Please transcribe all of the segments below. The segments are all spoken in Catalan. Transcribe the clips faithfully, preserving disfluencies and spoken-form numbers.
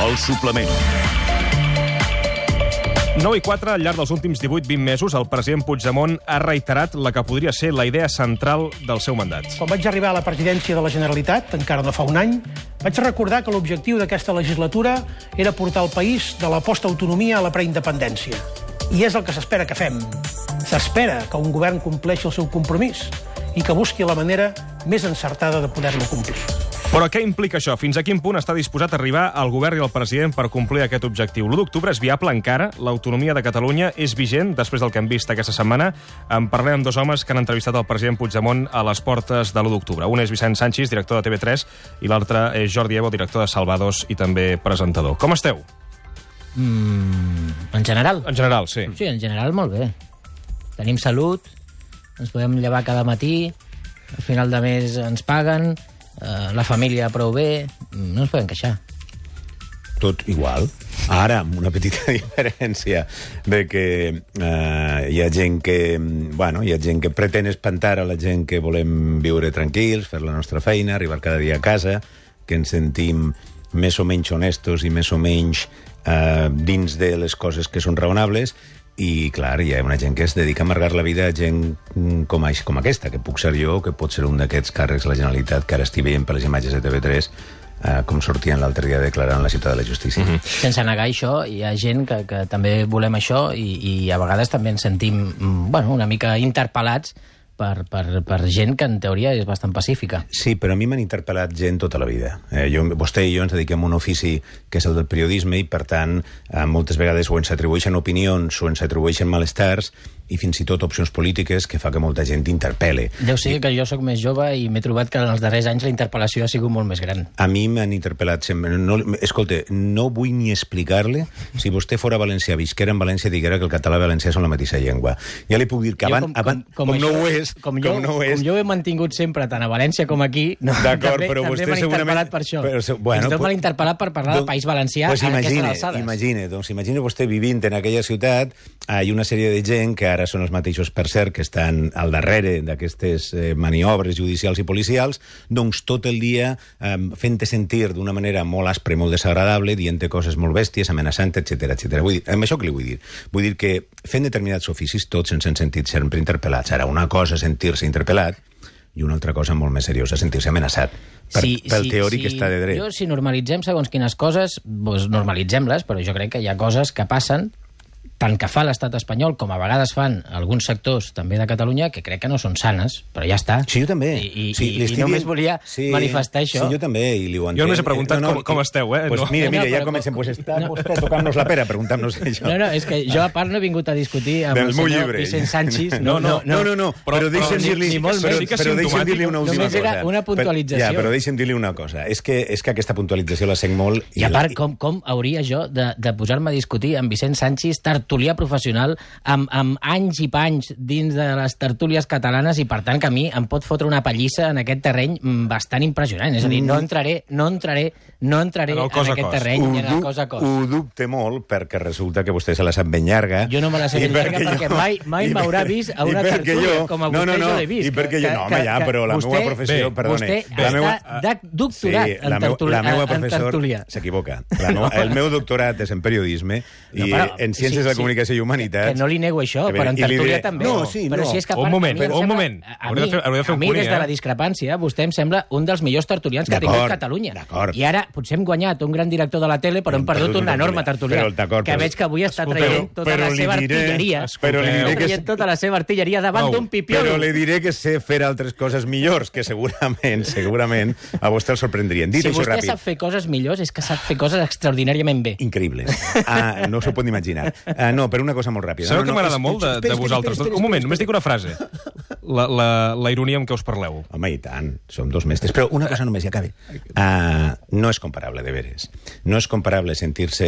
El suplement. nou i quatre, al llarg dels últims divuit vint mesos, el president Puigdemont ha reiterat la que podria ser la idea central del seu mandat. Quan vaig arribar a la presidència de la Generalitat, encara no fa un any, vaig recordar que l'objectiu d'aquesta legislatura era portar el país de la postautonomia a la preindependència. I és el que s'espera que fem. S'espera que un govern compleixi el seu compromís i que busqui la manera més encertada de poder-lo complir. Però què implica això? Fins a quin punt està disposat a arribar el govern i el president per complir aquest objectiu? l'u d'octubre és viable encara? L'autonomia de Catalunya és vigent després del que hem vist aquesta setmana? En parlem amb dos homes que han entrevistat el president Puigdemont a les portes de l'u d'octubre. Un és Vicent Sanchis, director de T V tres, i l'altre és Jordi Evo, director de Salvados i també presentador. Com esteu? Mm, en general? En general, sí. Sí, en general molt bé. Tenim salut, ens podem llevar cada matí, al final de mes ens paguen, eh, la família prou bé, no ens podem queixar. Tot igual. Ara, amb una petita diferència de que eh, hi ha gent que, bueno, hi ha gent que pretén espantar a la gent que volem viure tranquils, fer la nostra feina, arribar cada dia a casa, que ens sentim més o menys honestos i més o menys eh, dins de les coses que són raonables. I, clar, hi ha una gent que es dedica a amargar la vida a gent com, com aquesta, que puc ser jo, que pot ser un d'aquests càrrecs de la Generalitat, que ara estic veient per les imatges de T V tres, eh, com sortien l'altre dia declarant la ciutat de la justícia. Mm -hmm. Sense negar això, hi ha gent que, que també volem això i, i a vegades també ens sentim, bueno, una mica interpel·lats Per, per, per gent que en teoria és bastant pacífica. Sí, però a mi m'han interpel·lat gent tota la vida. Eh, jo, vostè i jo ens dediquem a un ofici que és el del periodisme i, per tant, eh, moltes vegades o ens atribueixen opinions o ens atribueixen malestars i fins i tot opcions polítiques que fa que molta gent interpel·le. Deu ser que jo sóc més jove i m'he trobat que en els darrers anys la interpel·lació ha sigut molt més gran. A mi m'han interpel·lat sempre. No, escolta, no vull ni explicar-li si vostè fora valencià, visquera en València, diguera que el català i valencià són la mateixa llengua. Ja li puc dir que abans, com, abans, com, com, com això, no ho és, com, jo, com no ho és... Com jo he mantingut sempre tant a València com aquí, no, també, però també m'han interpel·lat per això. Però, bueno, Fins i tot m'han interpel·lat per parlar del País Valencià pues a imagine, aquestes alçades. Imagine, doncs imagine vostè vivint en aquella ciutat, hi ha una sèrie de gent que ara són els mateixos, per cert, que estan al darrere d'aquestes eh, maniobres judicials i policials, doncs tot el dia eh, fent-te sentir d'una manera molt aspra i molt desagradable, dient-te coses molt bèsties, amenaçant, etcètera, etcètera. Vull dir, amb això què li vull dir? Vull dir que fent determinats oficis tots ens hem sentit sempre interpel·lats. Ara, una cosa és sentir-se interpel·lat i una altra cosa molt més seriosa, sentir-se amenaçat per, sí, pel sí, teòric sí, que està de dret. Jo, si normalitzem segons quines coses, doncs normalitzem-les, però jo crec que hi ha coses que passen tant que fa l'estat espanyol com a vegades fan alguns sectors també de Catalunya que crec que no són sanes, però ja està. Sí, jo també. I, i, sí, i, i només volia sí, manifestar això. Sí, jo també, i li ho entenc. Jo només he preguntat no, no, com, com esteu, eh? Pues no. mira, mira, no, ja però, comencem. Pues està no. vostè tocant-nos la pera, preguntant-nos això. No, no, és que jo a part no he vingut a discutir amb Del el meu senyor llibre. Vicent Sanchis. No, no, no, no, no però, però deixa'm dir-li ni molt però, més. però deixa'm dir-li una última Només cosa. era una puntualització. Ja, però deixa'm dir-li una cosa. És que, és que aquesta puntualització la sent molt... I a part, com, com hauria jo de, de posar-me a discutir amb Vicent Sanchis, tertulià professional, amb, amb anys i panys dins de les tertúlies catalanes i, per tant, que a mi em pot fotre una pallissa en aquest terreny bastant impressionant. És a dir, no entraré, no entraré, no entraré en, en aquest terreny, ni en el cos a cos. Ho dubte molt, perquè resulta que vostè se la sap ben llarga. Jo no me la sé ben llarga perquè, perquè mai, mai m'haurà vist a una tertúlia, jo, com a vostè no, no, no, jo l'he vist. I perquè jo, no, home, ja, però la meva professió, bé, perdone. Vostè la està meua, de doctorat sí, en, tertúlia, la meva en professor tertúlia. S'equivoca. No, el meu doctorat és en periodisme i no, però, en Ciències sí, de la Comunicació sí, i Humanitats. Que no li nego això, però en tertúlia també. No, sí, no. Però si és que, un moment, a mi un moment. A mi, a mi des de la discrepància, vostè em sembla un dels millors tertulians que ha tingut Catalunya. I ara potser hem guanyat un gran director de la tele, però hem perdut un enorme tertulià, que veig que avui està traient tota la seva artilleria. Està traient tota la seva artilleria davant d'un pipiolo. Però li diré que sé fer altres coses millors, que segurament, segurament, a vostè el sorprendrien. Dit si això vostè ràpid. sap fer coses millors, és que sap fer coses extraordinàriament bé. Increïbles. Ah, no s'ho pot imaginar. Ah, no, però una cosa molt ràpida. Sabeu no, que no, m'agrada és, molt de, espera, de vosaltres? espera, espera, Un moment, espera, només dic una frase. La, la, la ironia amb què us parleu. Home, i tant, som dos mestres. Però una cosa només, ja acabe. Uh, no és comparable, de veres. No és comparable sentir-se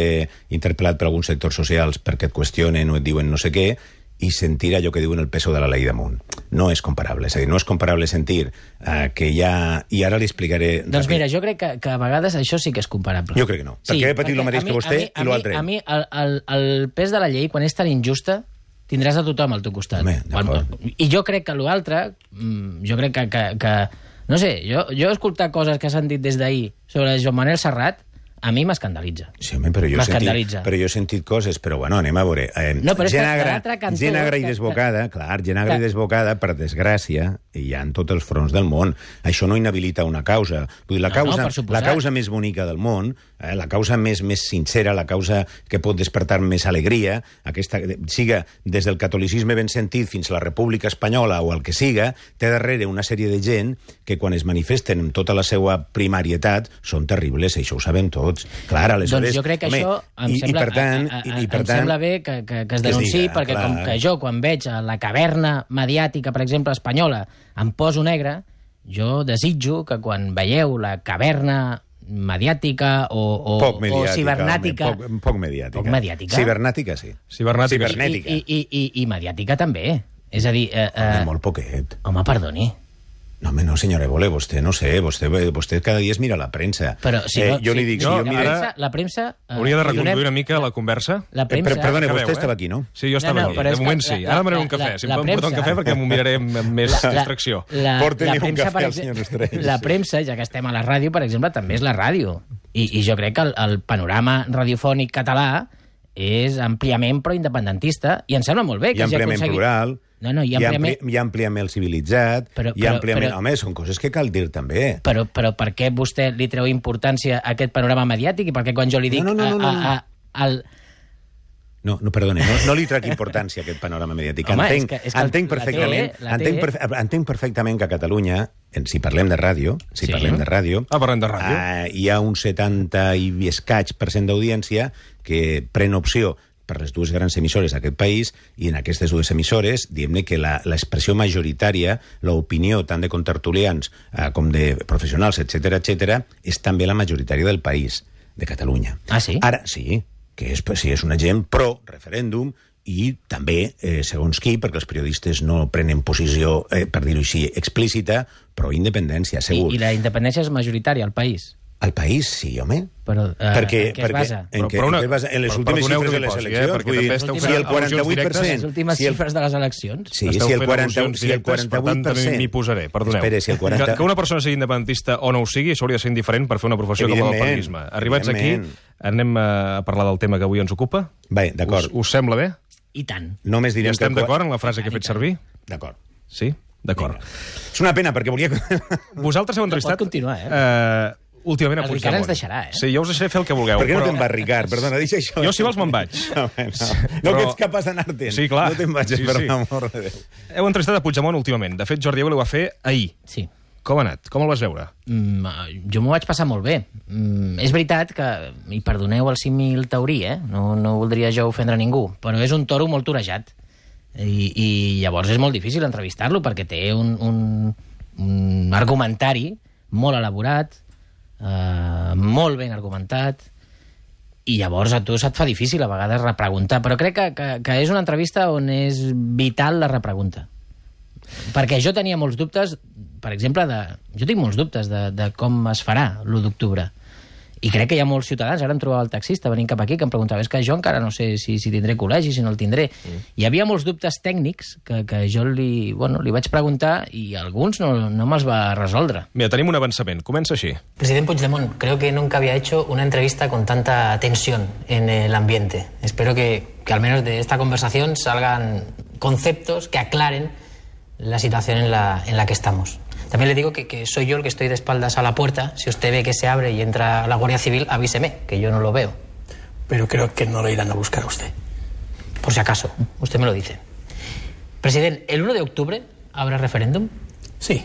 interpel·lat per alguns sectors socials perquè et qüestionen o et diuen no sé què i sentir allò que diuen el peso de la ley damunt. No és comparable. És a dir, no és comparable sentir uh, que hi ha... I ara li explicaré... Doncs ràpid. Mira, jo crec que, que a vegades això sí que és comparable. Jo crec que no. Sí, perquè he patit el mateix mi, que vostè mi, i l'altre. A mi, el, el, el pes de la llei, quan és tan injusta, tindràs a tothom al teu costat. Home, I jo crec que l'altre, jo crec que, que, que... No sé, jo, jo he escoltat coses que s'han dit des d'ahir sobre Joan Manel Serrat, a mi m'escandalitza. Sí, home, però jo, he sentit, però jo he sentit coses, però bueno, anem a veure. Eh, no, però gent, agra, cantó, gent agra i desbocada, que, clar, gent agra i desbocada, per desgràcia, hi ha en tots els fronts del món. Això no inhabilita una causa. Vull dir, la, causa, no, no, la causa més bonica del món, eh, la causa més, més sincera, la causa que pot despertar més alegria, aquesta, siga des del catolicisme ben sentit fins a la República Espanyola o el que siga, té darrere una sèrie de gent que quan es manifesten amb tota la seva primàrietat són terribles, això ho sabem tots. Clar, aleshores... Doncs jo crec que home, això em, i, sembla, i per tant, a, a, i per em tant, sembla bé que, que, que es denunciï, que perquè clar. Com que jo, quan veig la caverna mediàtica, per exemple, espanyola, em poso negre, jo desitjo que quan veieu la caverna mediàtica o, o, poc mediàtica, o cibernàtica... Home, poc, poc mediàtica. Poc mediàtica. Cibernàtica, sí. Cibernàtica. Cibernètica. I, i, i, i mediàtica també. És a dir... Eh, home, molt poquet. Home, perdoni. No, home, no, senyora Évole, vostè, no sé, vostè, vostè cada dia es mira la premsa. Però si eh, no, jo si, li dic... no, si jo la, mira... premsa, la premsa... Eh, hauria de reconduir donem, una mica la conversa. La premsa... Eh, perdone, Acabeu, vostè eh? estava aquí, no? Sí, jo estava no, no, aquí. De moment sí. Ara demanaré un cafè. Si em poden portar un cafè perquè m'ho miraré amb més la, distracció. La, Porti-li un cafè per al senyor Estrell. La premsa, ja que estem a la ràdio, per exemple, també és la ràdio. I, i jo crec que el, el panorama radiofònic català és àmpliament proindependentista i em sembla molt bé que I hagi àmpliament aconseguit... plural, no, no, i, àmpliament... i, ampli, i àmpliament civilitzat, però, i àmpliament... però, Home, són coses que cal dir també. Però, però per què vostè li treu importància a aquest panorama mediàtic i per què quan jo li dic... No, no, no, no, no. A, a, a, al... No, no, perdoni, no, no li trac importància a aquest panorama mediàtic. Home, entenc, és que, és que entenc perfectament, la té, la entenc, té. perfe entenc perfectament que a Catalunya, si parlem de ràdio, si Sí. parlem de ràdio, Ah, parlem de ràdio. Uh, hi ha un setanta i escaig per cent d'audiència que pren opció per les dues grans emissores d'aquest país, i en aquestes dues emissores, diguem-ne que l'expressió majoritària, l'opinió tant de contertulians eh, com de professionals, etcètera, etcètera, és també la majoritària del país, de Catalunya. Ah, sí? Ara, sí, que és, sí, és una gent pro-referèndum, i també, eh, segons qui, perquè els periodistes no prenen posició, eh, per dir-ho així, explícita, pro-independència, segur. I, I la independència és majoritària al país? Al país, sí, home. Però eh, perquè, en què es perquè, basa? En, Però, què, però una, en, què es basa? En les però, últimes xifres de les posi, eleccions. Eh, perquè vull dir, també esteu si fent el quaranta-vuit per cent... Les últimes si el, xifres de les eleccions? Sí, esteu si el fent quaranta, al·lusions si el directes, per quaranta-vuit tant, per cent... també m'hi posaré, perdoneu. Espera, si el quaranta... que, que una persona sigui independentista o no ho sigui, s'hauria de ser indiferent per fer una professió com la del periodisme. Arribats aquí, anem a parlar del tema que avui ens ocupa. Bé, d'acord. Us, us sembla bé? I tant. Només direm I estem que... d'acord en la frase que he fet servir? D'acord. Sí? D'acord. És una pena, perquè volia... Vosaltres heu entrevistat... Pot continuar, eh? eh últimament a El Puigdemont. Ricard ens deixarà, eh? Sí, jo us deixaré fer el que vulgueu. Per què no però... te'n vas, Ricard? Perdona, deixa això. Jo, si vols, me'n vaig. No, no, no Però- que ets capaç d'anar-te'n. Sí, clar. No te'n vagis, Sí, per sí. l'amor de Déu. Heu entrevistat a Puigdemont últimament. De fet, Jordi Évole ho va fer ahir. Sí. Com ha anat? Com el vas veure? Mm, jo m'ho vaig passar molt bé. Mm, és veritat que, i perdoneu el símil taurí, eh? no, no voldria jo ofendre ningú, però és un toro molt torejat. I, i llavors és molt difícil entrevistar-lo perquè té un, un, un argumentari molt elaborat, eh, molt ben argumentat, i llavors a tu se't fa difícil a vegades repreguntar, però crec que, que, que és una entrevista on és vital la repregunta. Perquè jo tenia molts dubtes, per exemple, de, jo tinc molts dubtes de, de com es farà l'u d'octubre. I crec que hi ha molts ciutadans, ara em trobava el taxista venint cap aquí, que em preguntava, és que jo encara no sé si, si tindré col·legi, si no el tindré. Mm. Hi havia molts dubtes tècnics que, que jo li, bueno, li vaig preguntar i alguns no, no me'ls va resoldre. Mira, tenim un avançament. Comença així. Presidente Puigdemont, creo que nunca había hecho una entrevista con tanta tensión en el ambiente. Espero que, que al menos de esta conversación salgan conceptos que aclaren la situación en la, en la que estamos. También le digo que, que soy yo el que estoy de espaldas a la puerta. Si usted ve que se abre y entra la Guardia Civil, avíseme, que yo no lo veo. Pero creo que no lo irán a buscar a usted. Por si acaso, usted me lo dice. Presidente, ¿el uno de octubre habrá referéndum? Sí.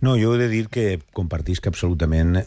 No, jo he de dir que compartisc absolutament eh,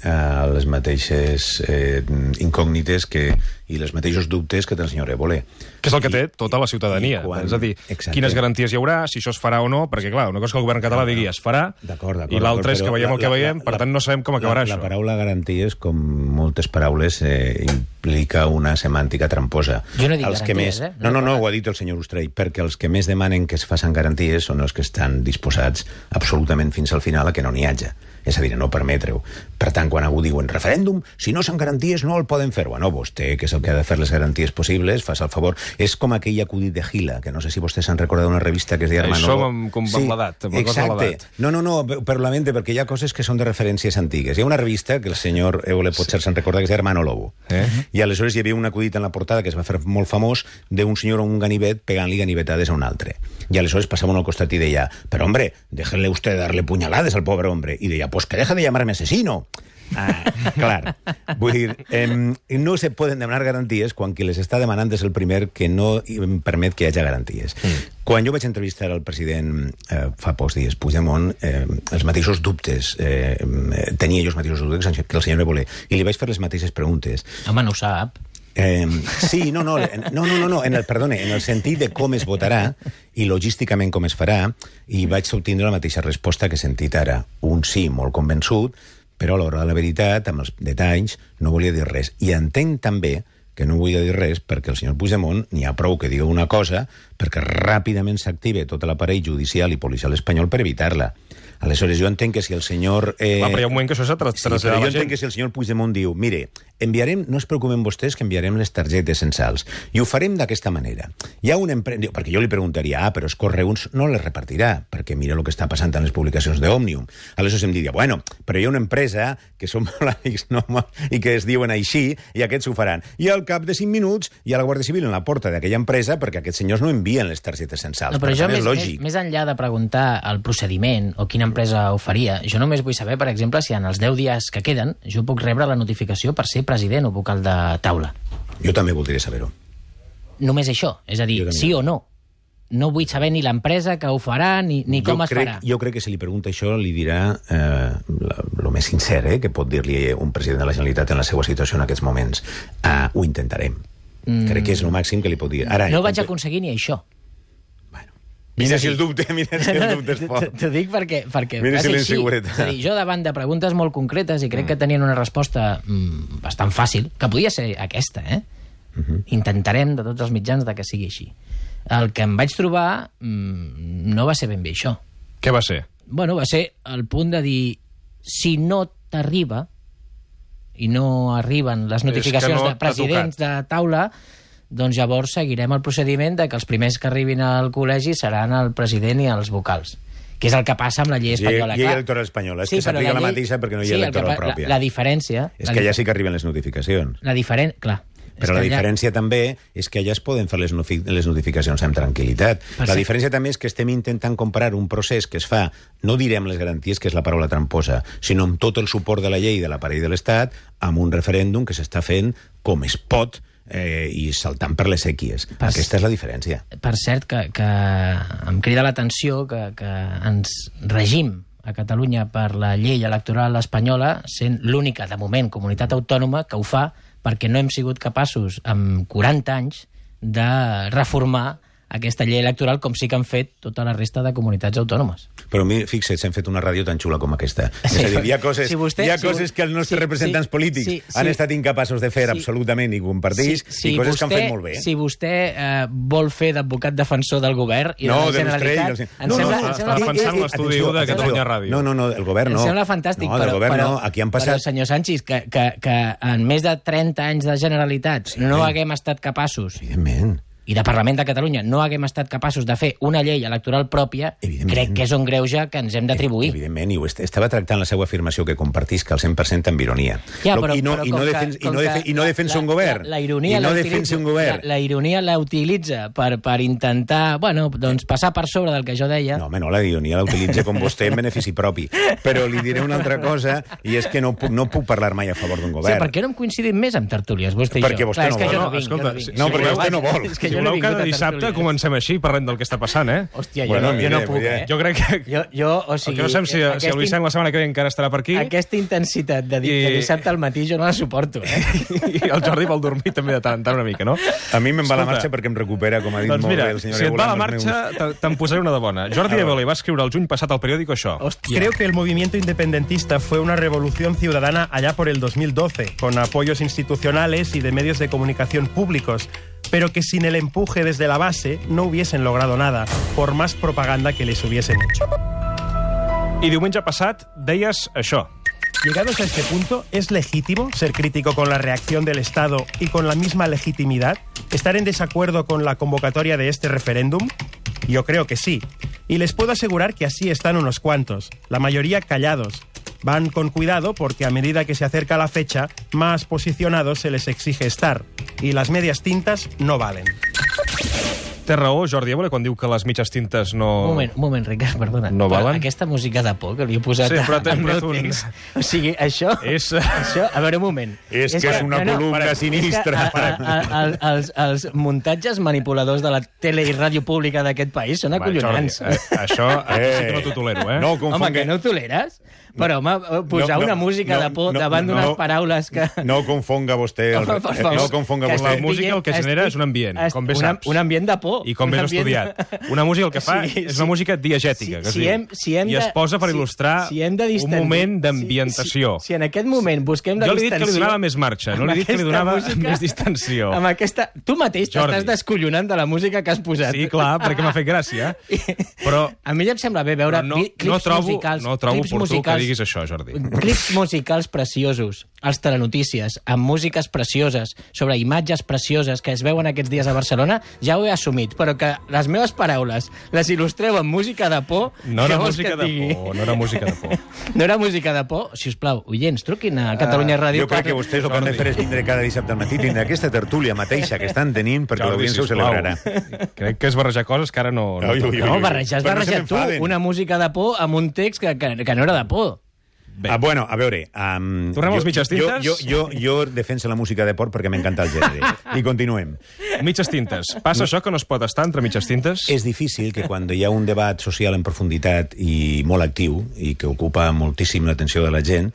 les mateixes eh, incògnites que, i els mateixos dubtes que té el senyor Évole. Que és el que té tota la ciutadania. quan- És a dir, Exacte. quines garanties hi haurà, si això es farà o no, perquè, clar, una cosa que el govern català digui es farà, D'acord, d'acord, i l'altra és d'acord, que però veiem el que la- la- veiem, la- per tant no sabem com acabarà la, això. La paraula garanties, com moltes paraules, eh, implica una semàntica tramposa. Jo no he dit Els que garanties, més... eh? No, no, no, ho ha dit el senyor Ustrell, perquè els que més demanen que es facin garanties són els que estan disposats absolutament fins al final a que no n'hi hagi. És a dir, no permetre-ho. Per tant, quan algú diu en referèndum, si no són garanties no el poden fer. Bueno, vostè, que és el que ha de fer les garanties possibles, fas el favor. És com aquell acudit de Gila, que no sé si vostès s'han recordat d'una revista que es deia Hermano Lobo. Som com sí, l'edat. Exacte. No, no, no, per la mente, perquè hi ha coses que són de referències antigues. Hi ha una revista que el senyor Eole potser se'n recorda, que és Hermano Lobo. Eh? I aleshores hi havia un acudit en la portada que es va fer molt famós d'un senyor a un ganivet pegant-li ganivetades a un altre. I aleshores passava un al costat i deia, però hombre, déjenle usted darle puñalades al pobre hombre. I deia, pues que deja de llamarme asesino. Ah, clar. Vull dir, eh, no se poden demanar garanties quan qui les està demanant és el primer que no permet que hi hagi garanties. Mm. Quan jo vaig entrevistar el president eh, fa pocs dies, Puigdemont, eh, els mateixos dubtes, eh, tenia jo els mateixos dubtes que el senyor Évole, i li vaig fer les mateixes preguntes. Home, no ho sap. Eh, sí, no, no, no, no, no, en el, perdone, en el sentit de com es votarà i logísticament com es farà, i vaig obtindre la mateixa resposta que he sentit ara. Un sí molt convençut, però a l'hora de la veritat, amb els detalls, no volia dir res. I entenc també que no volia dir res perquè el senyor Puigdemont n'hi ha prou que diga una cosa perquè ràpidament s'active tot l'aparell judicial i policial espanyol per evitar-la. Aleshores, jo entenc que si el senyor... Eh... Va, però hi ha un moment que això s'ha traslladat sí, però jo entenc que si el senyor Puigdemont diu, mire, enviarem, no es preocupen vostès que enviarem les targetes censals, i ho farem d'aquesta manera. Hi ha una empresa... Perquè jo li preguntaria, ah, però els correus no les repartirà, perquè mira el que està passant en les publicacions d'Òmnium. Aleshores em diria, bueno, però hi ha una empresa que són molt amics, no, i que es diuen així, i aquests ho faran. I al cap de cinc minuts hi ha la Guàrdia Civil en la porta d'aquella empresa perquè aquests senyors no envien les targetes censals. No, però per jo, més, més, més, més enllà de preguntar el procediment o quina empresa ho faria, jo només vull saber, per exemple, si en els deu dies que queden jo puc rebre la notificació per ser president o vocal de taula. Jo també voldria saber-ho. Només això, és a dir, sí o no. No vull saber ni l'empresa que ho farà ni, ni com jo es crec, farà. Jo crec que si li pregunta això li dirà eh, el més sincer eh, que pot dir-li un president de la Generalitat en la seva situació en aquests moments. Uh, ho intentarem. Mm. Crec que és el màxim que li pot dir. Ara, no vaig aconseguir ni això. Mira si el dubte, mira si el dubte és fort. T'ho dic perquè, perquè mira si l'inseguretat. És a dir, jo davant de preguntes molt concretes i crec que tenien una resposta mm, bastant fàcil, que podia ser aquesta, eh? Uh-huh. Intentarem de tots els mitjans de que sigui així. El que em vaig trobar mm, no va ser ben bé això. Què va ser? Bueno, va ser el punt de dir, si no t'arriba i no arriben les notificacions no de presidents de taula, doncs llavors seguirem el procediment de que els primers que arribin al col·legi seran el president i els vocals, que és el que passa amb la llei espanyola. Llei electoral espanyola, és sí, que s'aplica la, llei... la mateixa perquè no hi ha sí, electoral que, pròpia. La, la diferència... És la que dif... allà sí que arriben les notificacions. La diferència, clar. Però la diferència allà... també és que allà es poden fer les, les notificacions amb tranquil·litat. Per la ser... diferència també és que estem intentant comparar un procés que es fa, no direm les garanties, que és la paraula tramposa, sinó amb tot el suport de la llei de l'aparell de l'Estat, amb un referèndum que s'està fent com es pot, Eh, i saltant per les sèquies. Per Aquesta és la diferència. Per cert, que, que em crida l'atenció que, que ens regim a Catalunya per la llei electoral espanyola, sent l'única, de moment, comunitat autònoma que ho fa perquè no hem sigut capaços, amb quaranta anys, de reformar aquesta llei electoral com sí que han fet tota la resta de comunitats autònomes. Però fixa't, s'han fet una ràdio tan xula com aquesta. Sí, és a dir, hi ha coses, si vostè, hi ha coses si, que els nostres sí, representants sí, polítics sí, sí, han estat incapaços de fer sí, absolutament i compartir, sí, sí, i coses vostè, que han fet molt bé. Si vostè eh, vol fer d'advocat defensor del govern i no, de la Generalitat... De no, no, no, està defensant l'estudi u de Catalunya Ràdio. No, no, no, el govern no. Em sembla fantàstic, no, però, govern però, no. Aquí han passat... però, senyor Sanchis, que, que, que en més de trenta anys de Generalitat sí, no haguem estat capaços... Evidentment. i de Parlament de Catalunya no haguem estat capaços de fer una llei electoral pròpia, crec que és un greuge que ens hem d'atribuir. Evidentment, i ho estava tractant la seva afirmació que compartisc al cent per cent amb ironia. Ja, però, I no, però i no, defens, i no, defen, i no defensa un govern. La, la ironia I no defensa un govern. La, la ironia la utilitza per, per intentar, bueno, doncs passar per sobre del que jo deia. No, home, no, la ironia la utilitza com vostè en benefici propi. Però li diré una altra cosa, i és que no puc, no puc parlar mai a favor d'un govern. Sí, per què no hem coincidit més amb tertúlies, vostè i jo? Perquè vostè no vol. No, escolta, no, perquè vostè no vol. Si voleu cada dissabte comencem així, parlem del que està passant, eh? Hòstia, jo, bueno, no, jo no puc, eh? Jo crec que... Jo, jo, o sigui... El que no sabem si, si el Vicent la setmana que ve encara estarà per aquí... Aquesta intensitat de, I... de dissabte al matí jo no la suporto, eh? I el Jordi vol dormir també de tant en tant una mica, no? A mi me'n va la marxa perquè em recupera, com ha dit doncs molt mira, bé el senyor si et va la meus... marxa, te'n posaré una de bona. Jordi Évole va escriure el juny passat al periòdico això. Hostia. Creo que el movimiento independentista fue una revolución ciudadana allá por el dos mil doce, con apoyos institucionales y de medios de comunicación públicos, pero que sin el empuje desde la base no hubiesen logrado nada, por más propaganda que les hubiesen hecho. I diumenge passat deies això. Llegados a este punto, ¿es legítimo ser crítico con la reacción del Estado y con la misma legitimidad? ¿Estar en desacuerdo con la convocatoria de este referéndum? Yo creo que sí. Y les puedo asegurar que así están unos cuantos, la mayoría callados. Van con cuidado porque a medida que se acerca la fecha, más posicionados se les exige estar. Y las medias tintas no valen. Té raó, Jordi Évole, quan diu que les mitges tintes no... Un moment, un moment, Ricard, perdona. No Però valen? aquesta música de por que li he posat Sí, però al t'he meu posat un- text... O sigui, això... És... Això, a veure, un moment. És que és una columna sinistra. És que, a, a, a, a, els, els muntatges manipuladors de la tele i ràdio pública d'aquest país són Va, acollonants. Jordi, eh, això eh, sí que no t'ho tolero, eh? No Home, confongue... que no ho toleres? Però, home, posar No, no, una música no, de por no, davant no, d'unes no. paraules que... No confonga vostè... El... Home, per favor. No confonga Que vostè... La estic música el que dient- genera estic- és un ambient, est- com bé una- saps. Un ambient de por. I com un ben ambient- estudiat. Una música el que fa Sí, és sí. una música diegètica, que es si diu. hem, si hem I es de- posa per si- il·lustrar si hem de un distendir- moment d'ambientació. Si, si, si en aquest moment busquem la Jo li he dit distensió... que li donava més marxa, no li he dit que li amb donava aquesta música- més distensió. Amb aquesta... Tu mateix Jordi. t'estàs descollonant de la música que has posat. Sí, clar, perquè m'ha fet gràcia. Però A mi ja em sembla bé veure no, cli- clips no trobo, musicals... no trobo clips oportú musicals, que diguis això, Jordi. Clips musicals preciosos, als telenotícies, amb músiques precioses, sobre imatges precioses que es veuen aquests dies a Barcelona, ja ho he assumit, però que les meves paraules les il·lustreu amb música de por... No era què vols música que et de digui? por, no era música de por. No era música de por? Si us plau, oients, truquin a Catalunya Ràdio. Jo crec que vostès el que han de fer és vindre cada dissabte al matí, tindre aquesta tertúlia mateixa que estan tenint, perquè Jordi, l'audiència ho sisplau. celebrarà. Crec que és barrejar coses que ara no... no Ui, ui, toca. No, ui. barrejar, has Però no se barrejat tu m'enfaden. una música de por amb un text que, que, que no era de por. Bé. Ah, bueno, a veure... Um, Tornem als mitges tintes? Jo, jo, jo, jo defenso la música de port perquè m'encanta el gènere. I continuem. Mitges tintes. Passa això que no es pot estar entre mitges tintes? És difícil que quan hi ha un debat social en profunditat i molt actiu i que ocupa moltíssim l'atenció de la gent,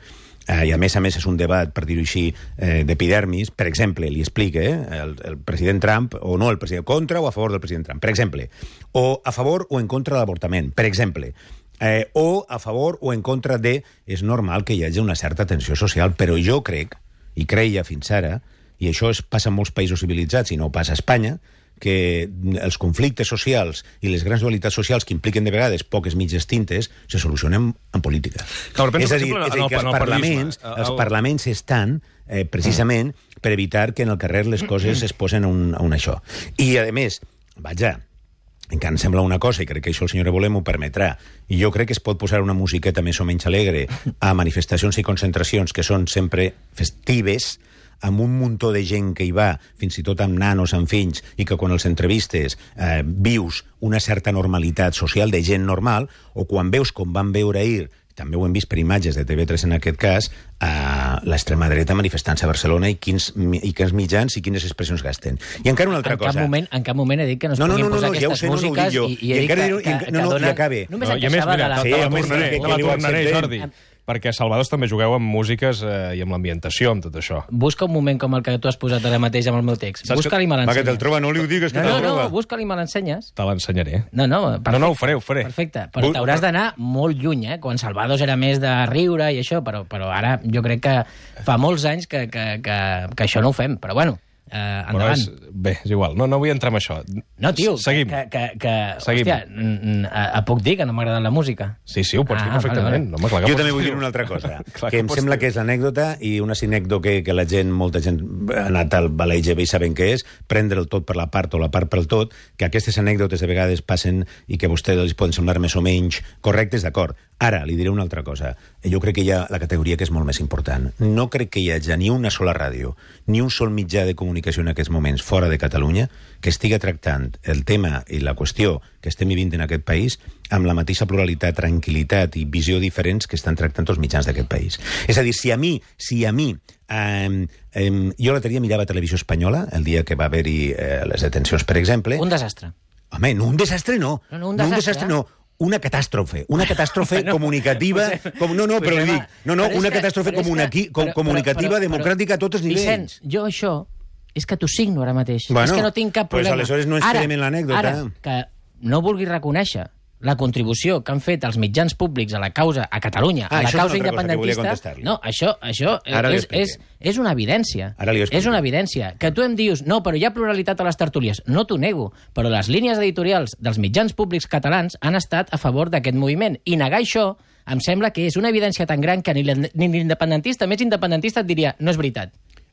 eh, i a més a més és un debat, per dir-ho així, eh, d'epidermis, per exemple, li explica eh, el, el president Trump, o no el president, contra o a favor del president Trump, per exemple, o a favor o en contra de l'avortament, per exemple, eh, o a favor o en contra de... És normal que hi hagi una certa tensió social, però jo crec, i creia fins ara, i això es passa en molts països civilitzats i no passa a Espanya, que els conflictes socials i les grans dualitats socials que impliquen de vegades poques mitges tintes se solucionen en política. Clar, penso, és a per dir, exemple, és a dir en el- que en els el parlaments, periodisme. els El- parlaments estan eh, precisament per evitar que en el carrer les coses es posen a un, a un això. I, a més, vaja, encara em sembla una cosa, i crec que això el senyor Évole m'ho permetrà, i jo crec que es pot posar una musiqueta més o menys alegre a manifestacions i concentracions que són sempre festives, amb un muntó de gent que hi va, fins i tot amb nanos, amb fills, i que quan els entrevistes eh, vius una certa normalitat social de gent normal, o quan veus com van veure ahir, també ho hem vist per imatges de T V tres en aquest cas, a l'extrema dreta manifestant-se a Barcelona i quins, i quins mitjans i quines expressions gasten. I encara una altra en cosa. Cap moment, en cap moment he dit que no es No, no, puguin no, no, posar no, ja ho aquestes sé, no, no ho dic músiques jo. i, i I he dit encara que, diré- que, i- que no, no, i donen... acabe. Només No, em i a més, queixava mira, de la... Sí, te la home, tornaré, que- te que la li ho tornaré, acceptem. Jordi. Perquè a Salvador també jugueu amb músiques eh, i amb l'ambientació, amb tot això. Busca un moment com el que tu has posat ara mateix amb el meu text. Saps Busca-li i me Va, que te'l l'ensenyes. troba, no li ho digues, que No, te'l no, troba. no, busca-li i me l'ensenyes. Te l'ensenyaré. No, no, perfecte. No, no, ho faré, ho faré. Perfecte, però Bu- t'hauràs d'anar molt lluny, eh? Quan Salvados era més de riure i això, però, però ara jo crec que fa molts anys que, que, que, que això no ho fem, però bueno, eh, Però endavant. és, bé, és igual, no, no vull entrar en això. No, tio, Seguim. que, que, que Seguim. hòstia, n- n- a, a puc dir que no m'ha agradat la música. Sí, sí, ho pots dir Ah, perfectament. vale, vale. No, home, clar que Jo pots també vull dir-ho. dir una altra cosa, Clar que em pots sembla dir-ho. que és l'anècdota i una sinècdota que, que la gent, molta gent ha anat al Baleig i saben què és, prendre el tot per la part o la part per el tot, que aquestes anècdotes de vegades passen i que a vostès els poden semblar més o menys correctes, d'acord. Ara, li diré una altra cosa. Jo crec que hi ha la categoria que és molt més important. No crec que hi hagi ni una sola ràdio, ni un sol mitjà de comunicació en aquests moments fora de Catalunya que estiga tractant el tema i la qüestió que estem vivint en aquest país amb la mateixa pluralitat, tranquil·litat i visió diferents que estan tractant els mitjans d'aquest país. És a dir, si a mi, si a mi eh, eh, jo l'altre dia mirava Televisió Espanyola, el dia que va haver-hi eh, les detencions, per exemple... Un desastre. Home, no, un desastre no. No, no, un no, un desastre, desastre eh? no. Una catàstrofe, una catàstrofe Bueno, comunicativa... pues, com, no, no, pues, però li home, dic, no, no, però és una que- catàstrofe però és comuniqui, que- com, però- comunicativa, però- però- democràtica a tots els nivells. Vicent, jo això és que t'ho signo ara mateix. Bueno, és que no tinc cap pues problema. aleshores no ens Ara- quedem en l'anècdota. Ara, que no vulgui reconèixer la contribució que han fet els mitjans públics a la causa, a Catalunya, Ah, a la això és una causa altra cosa que volia independentista... contestar-li. No, això, això Ara li és, és, expliqué. és una evidència. Ara li ho explico. És una evidència. Que tu em dius, no, però hi ha pluralitat a les tertúlies. No t'ho nego, però les línies editorials dels mitjans públics catalans han estat a favor d'aquest moviment. I negar això em sembla que és una evidència tan gran que ni l'independentista més independentista et diria no és veritat.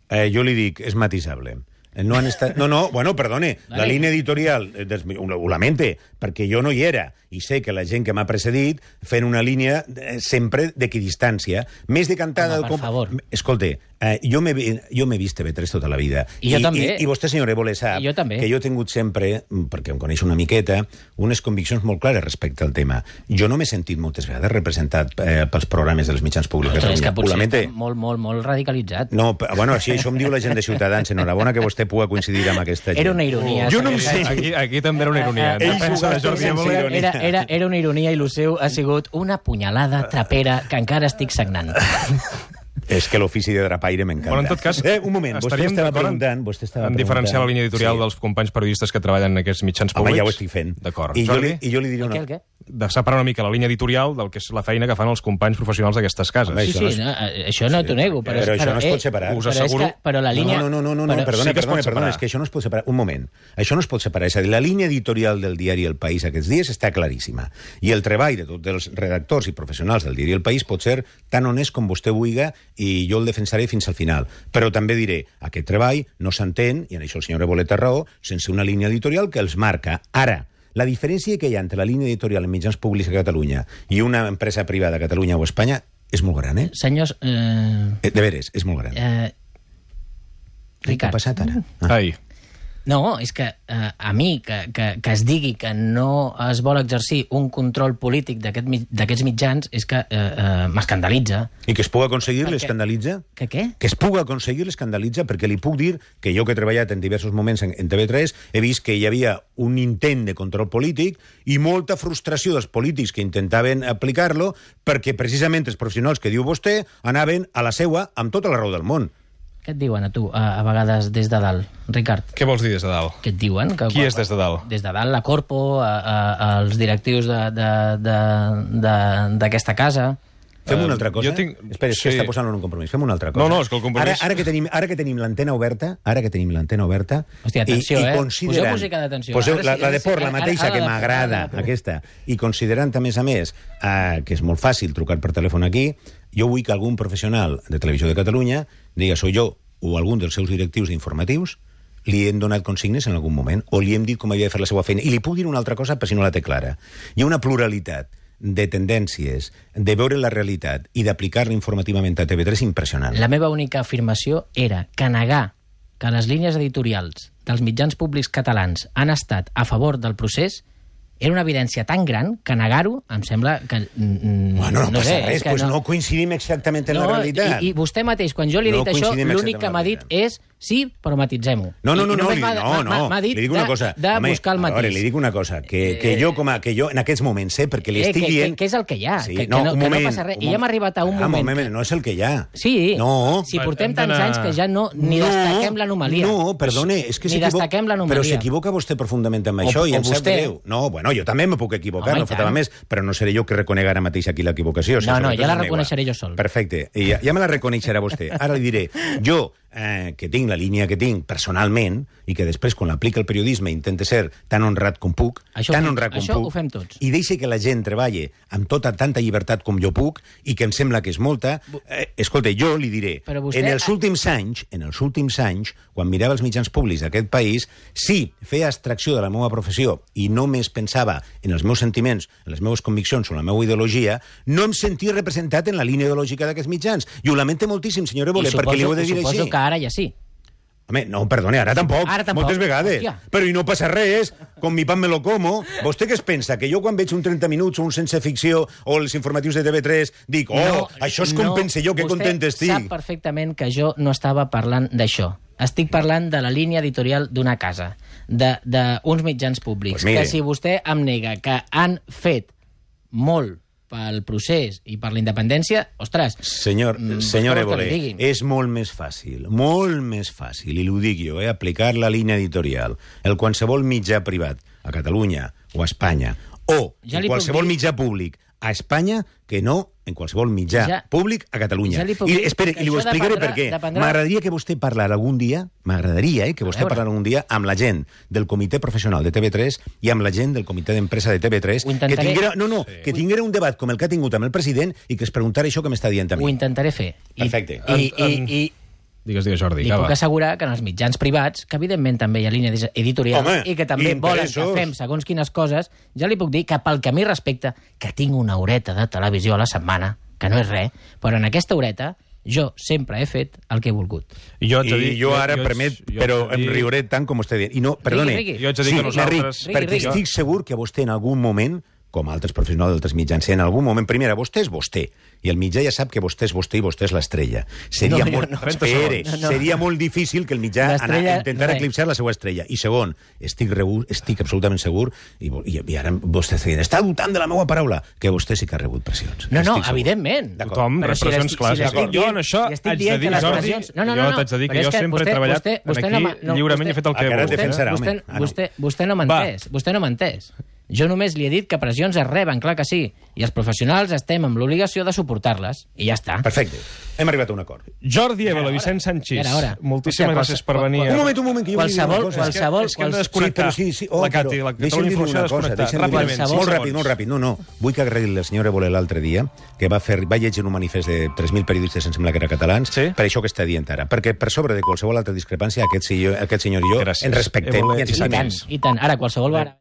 Eh, jo li dic, és matisable. No han estat... No, no, bueno, perdone, vale. La línia editorial, des... ho lamente, perquè jo no hi era, i sé que la gent que m'ha precedit fent una línia eh, sempre d'equidistància, més decantada... Home, per com... favor. Escolta, eh, jo m'he jo m'he vist T V tres tota la vida. I jo I, també. I, I vostè, senyor Évole, sap jo també. que jo he tingut sempre, perquè em coneix una miqueta, unes conviccions molt clares respecte al tema. Jo no m'he sentit moltes vegades representat eh, pels programes dels mitjans públics. Però és que potser està molt, molt, molt radicalitzat. No, bueno, així això em diu la gent de Ciutadans. Enhorabona que vostè pugui coincidir amb aquesta gent. Era una ironia. Jo no ho sé. Aquí, aquí també era una ironia. En defensa de Jordi Évole. Era, era, era una ironia i el seu ha sigut una punyalada trapera que encara estic sagnant. És que l'ofici de drapaire m'encanta. Bueno, en tot cas, eh, un moment, vostè estava preguntant... Vostè estava en diferenciar la línia editorial sí. dels companys periodistes que treballen en aquests mitjans públics. Home, ja ho estic fent. D'acord. I, jo li, I jo li diré una... El què, el què? De separar una mica la línia editorial del que és la feina que fan els companys professionals d'aquestes cases. Home, Sí, això sí, no, no, això no t'ho nego. Però, però això no es eh, pot separar. Us però asseguro... És que, però la línia... No, no, no, no, no, però, perdona, sí que es perdona, pot perdona, separar. és que això no es pot separar. Un moment. Això no es pot separar. És a dir, la línia editorial del diari El País aquests dies està claríssima. I el treball de tots els redactors i professionals del diari El País pot ser tan honest com vostè vulgui i jo el defensaré fins al final. Però també diré, aquest treball no s'entén, i en això el senyor Évole té raó, sense una línia editorial que els marca. Ara, la diferència que hi ha entre la línia editorial en mitjans públics a Catalunya i una empresa privada a Catalunya o a Espanya és molt gran, eh? Senyors... Eh... De veres, és molt gran. Eh... Què ha passat ara? Ah. Ai. No, és que eh, a mi que, que, que es digui que no es vol exercir un control polític d'aquest, d'aquests mitjans és que eh, eh, m'escandalitza. I que es pugui aconseguir Perquè- l'escandalitza? Que què? Que es pugui aconseguir l'escandalitza, perquè li puc dir que jo que he treballat en diversos moments en, en T V tres he vist que hi havia un intent de control polític i molta frustració dels polítics que intentaven aplicar-lo perquè precisament els professionals que diu vostè anaven a la seua amb tota la raó del món. Què et diuen a tu, a, a vegades des de dalt, Ricard? Què vols dir des de dalt? Què et diuen? Que, Qui és des de dalt? Des de dalt, la Corpo, a, a, als directius d'aquesta casa. Fem Eh, una altra cosa? jo tinc- Espera, és sí. que està posant en un compromís. Fem una altra cosa. No, no, és que el compromís- Ara, ara que tenim, ara que tenim l'antena oberta, ara que tenim l'antena oberta... Hòstia, atenció, i, i eh? considerant- Poseu música d'atenció. Poseu Ara la, sí, la ara de por, sí, la ara- mateixa, ara que la de por, m'agrada, ara la de por. aquesta. I considerant, a més a més, eh, que és molt fàcil trucar per telèfon aquí, jo vull que algun professional de Televisió de Catalunya diga, soy jo o algun dels seus directius informatius li hem donat consignes en algun moment o li hem dit com havia de fer la seva feina. I li puc dir una altra cosa per si no la té clara. Hi ha una pluralitat de tendències, de veure la realitat i d'aplicar-la informativament a T V tres impressionant. La meva única afirmació era que negar que les línies editorials dels mitjans públics catalans han estat a favor del procés era una evidència tan gran que negar-ho em sembla que... Mm, Bueno, no, no passa sé, res, és que pues no. no coincidim exactament en la realitat. I, I vostè mateix, quan jo li he No dit això, coincidim l'únic exactament que en m'ha la dit realitat. és sí, però matitzem-ho. No, no, I- no, i no, només li, m'ha- no, m'ha- no. m'ha dit li dic de, una cosa. de Home, buscar el a veure, matís. li dic una cosa, que, que jo, com a, que jo en aquests moments, eh, perquè li Eh, estic que- dient... que- que és el que hi ha, Sí, que- que no, no- un que no moment, passa res. un I ja hem moment. arribat a un Ah, moment que- no és el que hi ha. Sí, No. si portem Hem tants d'anar- anys que ja no ni destaquem l'anomalia. No, perdone, és que Ni s'equivoca... destaquem l'anomalia. Però s'equivoca vostè profundament amb O- això i o em sap vostè. greu. No, bueno, jo també me puc equivocar, Home, no i faltava tant. més, però no seré jo que reconec ara mateix aquí l'equivocació. No, no, sobretot ja la és meua. reconeixeré jo sol. Perfecte, i ja, ja me la reconeixerà vostè. Ara li diré, jo, eh, que tinc la línia que tinc personalment, i que després, quan l'aplica el periodisme, intente ser tan honrat com puc, Això ho tan fem- honrat com això puc, ho fem tots. i deixe que la gent treballe amb tota tanta llibertat com jo puc, i que em sembla que és molta, eh, escolta, jo li diré, Però vostè- en els últims anys, en els últims anys, quan mirava els mitjans públics d'aquest país, sí, feia abstracció de la meva professió i només pensava en els meus sentiments, en les meves conviccions o en la meva ideologia, no em sentia representat en la línia ideològica d'aquests mitjans. I ho lamento moltíssim, senyor Évole, I perquè li ho he de dir suposo així. que ara ja sí. Home, no, perdone, ara tampoc, Ara tampoc. moltes vegades. Hòstia. Però i no passa res, com mi pan me lo como. Vostè què es pensa? Que jo quan veig un trenta minuts o un sense ficció o els informatius de T V tres dic, oh, això és com pense jo, que content estic. Vostè sap perfectament que jo no estava parlant d'això. Estic parlant de la línia editorial d'una casa, d'uns mitjans públics, Pues mire. que si vostè em nega que han fet molt pel procés i per la independència, ostres... Senyor, mm, senyor què vol que Évole, li digui? és molt més fàcil, molt més fàcil, i ho dic jo, eh, aplicar la línia editorial, el qualsevol mitjà privat, a Catalunya o a Espanya, o Ja en li puc qualsevol dir- mitjà públic, a Espanya que no en qualsevol mitjà Ja- públic a Catalunya. ja li puc I dir espere, que i li ho això explicaré dependrà- per què. dependrà- M'agradaria que vostè parlara algun dia, m'agradaria eh, que vostè veure. parlara algun dia amb la gent del comitè professional de T V tres i amb la gent del comitè d'empresa de T V tres, Ho que intentaré. tinguera, no, no, que tinguera un debat com el que ha tingut amb el president i que es preguntara això que m'està dient a Ho mi. intentaré fer. I, Perfecte. I, i, i, Digues, digues, Jordi, li acaba. puc assegurar que en els mitjans privats, que evidentment també hi ha línia editorial Home, i que també volen que interessos. fem segons quines coses, ja li puc dir que pel que a mi respecta, que tinc una horeta de televisió a la setmana, que no és res, però en aquesta horeta jo sempre he fet el que he volgut. Jo haig de dir- I jo ara, jo haig- permet, jo haig però de em dir- riuré tant com vostè diu. I no, perdone, Rigui, rigui. Jo haig de dir que nosaltres- m'arric, Rigui, perquè rigui. estic segur que vostè en algun moment, com altres professionals d'altres mitjans, si en algun moment, primera, vostè és vostè, i el mitjà ja sap que vostè és vostè i vostè és l'estrella. Seria, No, jo molt, no. espere, trenta segons. No, no. seria molt difícil que el mitjà L'estrella, anar, intentar res. eclipsar la seva estrella. I segon, estic, rebu, estic absolutament segur, i, i, i ara vostè està dient, està dubtant de la meva paraula, que vostè sí que ha rebut pressions. No, no, Estic segur. evidentment. D'acord. Tothom, Però si repressions l'estic- clares. si l'estic D'acord. Jo en dient- això si estic haig de dient dir, que les Jordi, pressions- no, no, jo no, no. t'haig de dir Però que és jo que sempre he vostè- treballat vostè- vostè aquí no m'ha- no, lliurement i vostè- he fet el que he Encara volgut. et defensarà, vostè, home. Ah, no. vostè, vostè no m'ha Va. entès. Vostè no m'ha entès. Jo només li he dit que pressions es reben, clar que sí. I els professionals estem amb l'obligació de suportar-les. I ja està. Perfecte. Hem arribat a un acord. Jordi Évole, Vicent Sanchis, Era hora. moltíssimes Hòstia, gràcies per qual- venir. qual- Un moment, un moment, que jo vull dir una Qualsevol, cosa. qualsevol, És que hem de quals- desconnectar. Sí, però sí, sí. La Cati, però la deixa'm Catalunya dir-li Informació una cosa, desconnectar. deixa'm dir-li- Ràpidament, Qualsevol- Molt cinc ràpid, segons. molt ràpid. No, no. Vull que agrair la senyora Évole l'altre dia, que va, fer, va llegir un manifest de tres mil periodistes, em sembla que era catalans, Sí. per això que està dient ara. Perquè per sobre de qualsevol altra discrepància, aquest senyor, aquest senyor i jo Gràcies. ens respectem Évole i ens i I tant, estimem. i tant. Ara, qualsevol bar...